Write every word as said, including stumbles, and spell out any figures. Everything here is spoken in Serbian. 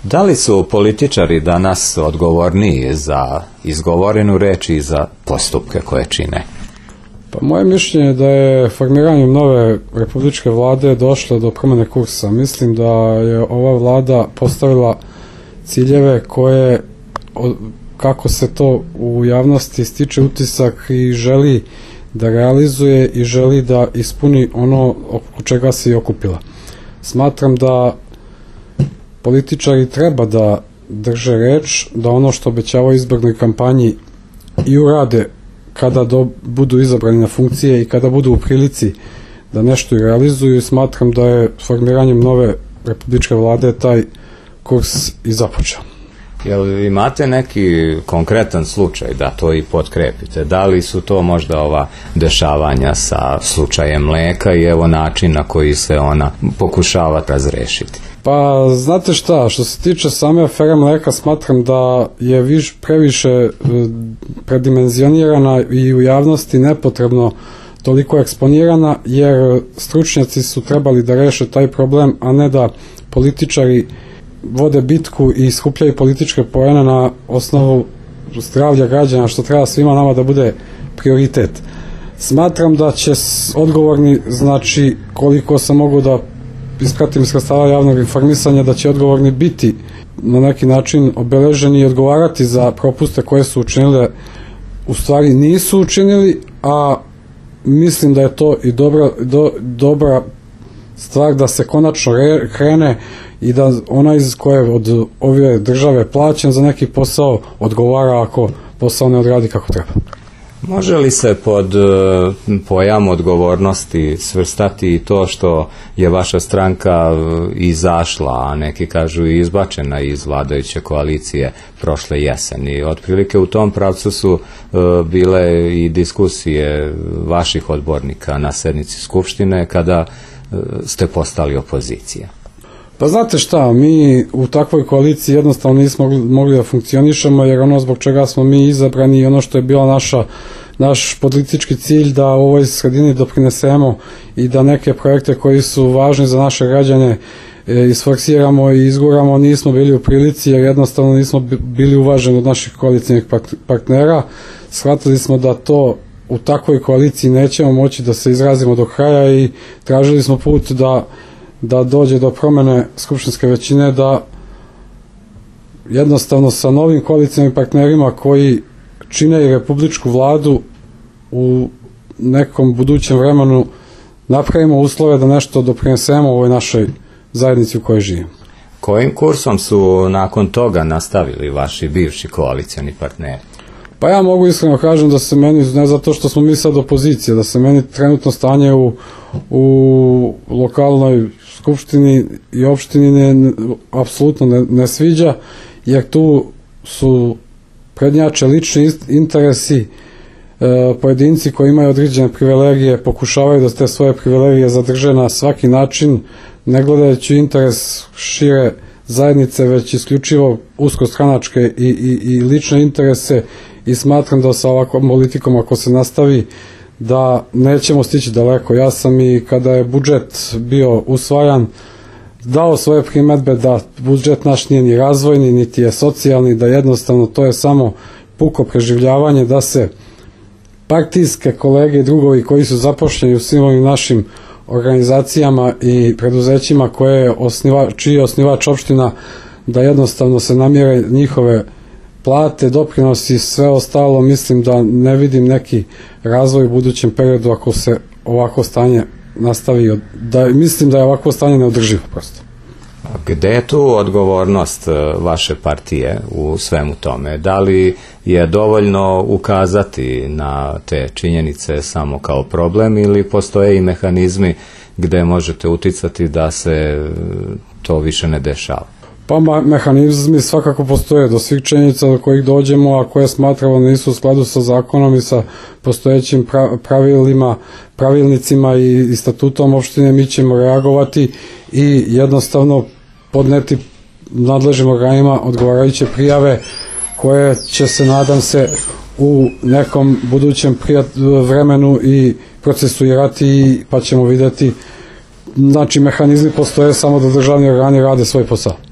Da li su političari danas odgovorniji za izgovorenu reč i za postupke koje čine? Pa moje mišljenje je da je formiranjem nove republičke vlade došlo do promjene kursa. Mislim da je ova vlada postavila ciljeve koje, kako se to u javnosti stiče utisak, i želi da realizuje i želi da ispuni ono oko čega se i okupila. Smatram da političari treba da drže reč, da ono što obećavaju u izbornoj kampanji i urade kada do, budu izabrani na funkcije i kada budu u prilici da nešto i realizuju, i smatram da je formiranjem nove republičke vlade taj kurs i započeo. Jel imate neki konkretan slučaj da to i potkrepite? Da li su to možda ova dešavanja sa slučajem mleka i evo način na koji se ona pokušava razrešiti? Pa znate šta, što se tiče same afere mleka, smatram da je viš, previše predimenzionirana i u javnosti nepotrebno toliko eksponirana, jer stručnjaci su trebali da reše taj problem, a ne da političari vode bitku i skupljaju političke poene na osnovu zdravlja građana, što treba svima nama da bude prioritet. Smatram da će odgovorni, znači koliko sam mogu da ispratim iz sredstava javnog informisanja, da će odgovorni biti na neki način obeleženi i odgovarati za propuste koje su učinile, u stvari nisu učinili, a mislim da je to i dobra, do, dobra stvar da se konačno re, krene i da onaj koje od ove države plaćen za neki posao odgovara ako posao ne odradi kako treba. Može li se pod pojam odgovornosti svrstati i to što je vaša stranka izašla, a neki kažu i izbačena iz vladajuće koalicije prošle jeseni? Otprilike u tom pravcu su bile i diskusije vaših odbornika na sednici Skupštine kada ste postali opozicija. Pa znate šta, mi u takvoj koaliciji jednostavno nismo mogli da funkcionišemo, jer ono zbog čega smo mi izabrani i ono što je bila naša, naš politički cilj da u ovoj sredini doprinesemo i da neke projekte koji su važni za naše građane e, isforsiramo i izguramo, nismo bili u prilici, jer jednostavno nismo bili uvaženi od naših koalicijnih partnera. Shvatili smo da to u takvoj koaliciji nećemo moći da se izrazimo do kraja i tražili smo put da da dođe do promjene skupštinske većine, da jednostavno sa novim koalicijnim partnerima koji čine i republičku vladu u nekom budućem vremenu napravimo uslove da nešto doprinesemo u ovoj našoj zajednici u kojoj živimo. Kojim kursom su nakon toga nastavili vaši bivši koalicijni partneri? Pa ja mogu iskreno kažem da se meni, ne zato što smo mi sad opozicija, da se meni trenutno stanje u, u lokalnoj skupštini i opštini ne, apsolutno ne, ne sviđa, jer tu su prednjače lični interesi, e, pojedinci koji imaju određene privilegije pokušavaju da te svoje privilegije zadrže na svaki način, ne gledajući interes šire zajednice, već isključivo uskostranačke i, i, i lične interese, i smatram da sa ovakvom politikom ako se nastavi da nećemo stići daleko. Ja sam i kada je budžet bio usvajan dao svoje primedbe da budžet naš nije ni razvojni niti je socijalni, da jednostavno to je samo puko preživljavanje, da se partijske kolege i drugovi koji su zapošljeni u svim ovim našim organizacijama i preduzećima koje je osniva, čiji je osnivač opština, da jednostavno se namjere njihove plate, doprinosi, sve ostalo. Mislim da ne vidim neki razvoj u budućem periodu ako se ovako stanje nastavi, da, mislim da je ovako stanje neodrživo prosto. Gde je tu odgovornost vaše partije u svemu tome? Da li je dovoljno ukazati na te činjenice samo kao problem ili postoje i mehanizmi gde možete uticati da se to više ne dešava? Pa mehanizmi svakako postoje, do svih činjenica do kojih dođemo, a koje smatramo nisu u skladu sa zakonom i sa postojećim pravilima, pravilnicima i statutom opštine, mi ćemo reagovati i jednostavno podneti nadležnim organima odgovarajuće prijave koje će se, nadam se, u nekom budućem vremenu i procesuirati, pa ćemo vidjeti. Znači, mehanizmi postoje, samo da državni organi rade svoj posao.